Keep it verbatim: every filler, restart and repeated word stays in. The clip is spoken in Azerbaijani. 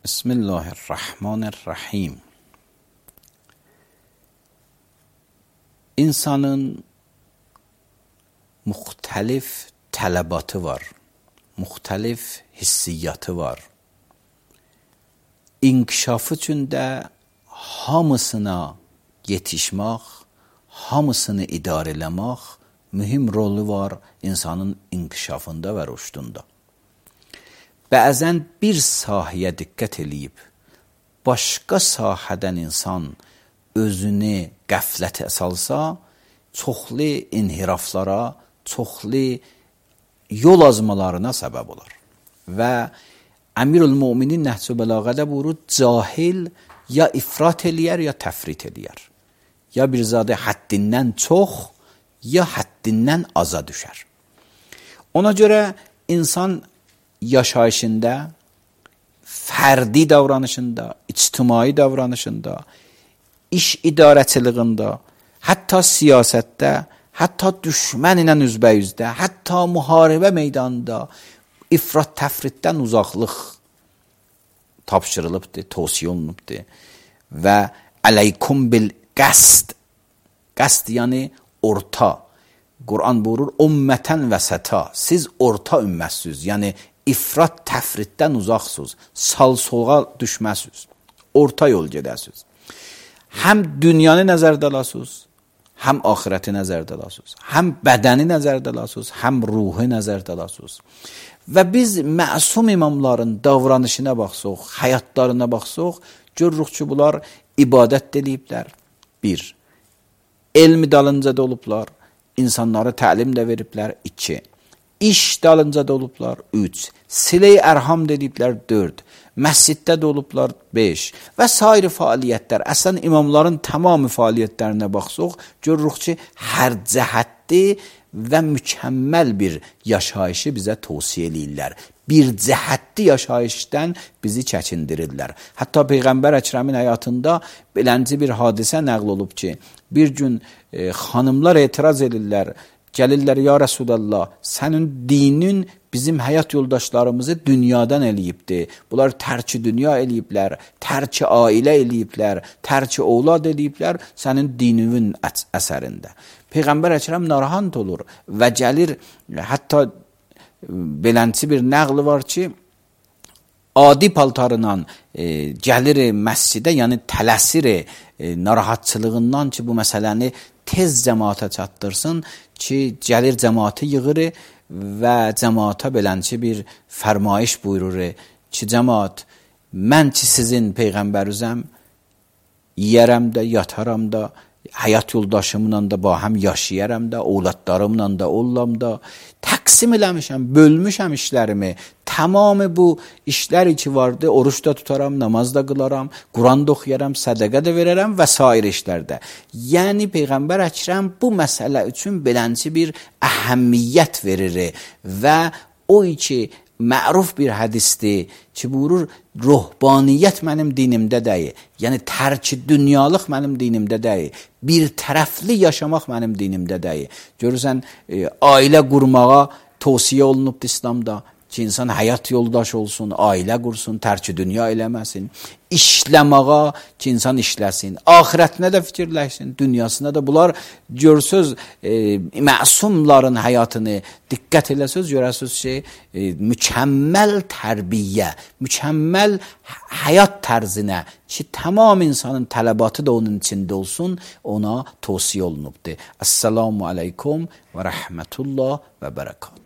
Bismillahirrahmanirrahim. İnsanın muhtelif tələbatı var, muhtelif hissiyatı var. İnkişafı üçün də hamısına yetişmək, hamısını idarə eləmək mühim rolu var insanın inkişafında və rüşdunda. Bəzən bir sahəyə diqqət eləyib, başqa sahədən insan özünü qəflətə salsa, çoxlu inhiraflara, çoxlu yol azmalarına səbəb olar. Və Əmirül-Müminin Nəhc-ü Bəlağədə buyurur, cahil ya ifrat eləyər, ya təfrit eləyər. Ya bir zadə həddindən çox, ya həddindən aza düşər. Ona görə insan yaşayışında, fərdi davranışında, ictimai davranışında, iş idarəçiliyində, hətta siyasətdə, hətta düşmən ilə üzbəyüzdə, hətta müharibə meydanında ifrat təfritdən uzaqlıq tapşırılıbdır, tövsiyə olunubdur. Və əleykum bil qəsd. Qəsd yəni orta. Quran buyurur, ümmətən vəsəta. Siz orta ümmətsiniz. Yəni ifrat təfritdən uzaqsınız. Sal-soğa düşməsiniz. Orta yol gedəsiniz. Həm dünyanı nəzərdə alasınız, həm axirəti nəzərdə alasınız. Həm bədəni nəzərdə alasınız, həm ruhu nəzərdə alasınız. Və biz məsum imamların davranışına baxsaq, həyatlarına baxsaq, görürük ki, bunlar ibadət eləyiblər. Bir, elmi dalınca da olublar, insanlara təlim də veriblər. İki, iş dalınca da olublar. Üç, silə-i ərham dediklər. Dörd, məsciddə də olublar. Beş və sair fəaliyyətlər. Əslən imamların tamamı fəaliyyətlərinə baxsaq, görürük ki, hər cəhətli və mükəmməl bir yaşayışı bizə tövsiyə eləyirlər. Bir cəhətli yaşayışdan bizi çəkindirirlər. Hətta Peyğəmbər Əkrəmin həyatında belənci bir hadisə nəql olub ki, bir gün e, xanımlar etiraz edirlər, gəlirlər, ya Rəsulallah, sənin dinin bizim həyat yoldaşlarımızı dünyadan eləyibdir. Bunlar tərki dünya eləyiblər, tərki ailə eləyiblər, tərki ovlad eləyiblər sənin dininin əsərində. Peyğəmbər Əkrəm narahat olur və gəlir, hətta belənçi bir nəqli var ki, adi paltarla e, gəlir məscidə, yəni tələsir e, narahatçılığından ki, bu məsələni tez cəmaata çatdırsın ki, gəlir cəmaatı yığır və cəmaata belənçi bir fərmayış buyurur ki, cəmaat, mən ki sizin Peyğəmbərizəm, yiyərəm də, yataram da, həyat yoldaşımla da bahəm yaşayaram da, ovladlarımla da, ollam da, təqsim eləmişəm, bölmüşəm işlərimi, tamamı bu işlər ki vardı, oruç da tutaram, namaz da qılaram, Quran da oxuyaram, sədəqə də verərəm və sair işlərdə. Yəni Peyğəmbər Əkrəm bu məsələ üçün belənci bir əhəmiyyət verir və o ki məruf bir hədisdir ki, buyurur, ruhbaniyyət mənim dinimdə deyil. Yəni, tərki dünyalıq mənim dinimdə deyil. Bir tərəfli yaşamaq mənim dinimdə deyil. Görürsən, e, ailə qurmağa tövsiyə olunubdur İslamda ki, insan həyat yoldaş olsun, ailə qursun, tərki dünya eləməsin. İşləməğa ki, insan işləsin. Axirətinə də fikirləşsin, dünyasına da. Bunlar görsöz, e, məsumların həyatını diqqət eləsöz, görəsiz ki, e, mükəmməl tərbiyə, mükəmməl həyat tərzinə ki, tamam insanın tələbatı da onun içində olsun, ona tövsiyə olunubdur. Əssalamu aleykum və rəhmətullah və bərəkət.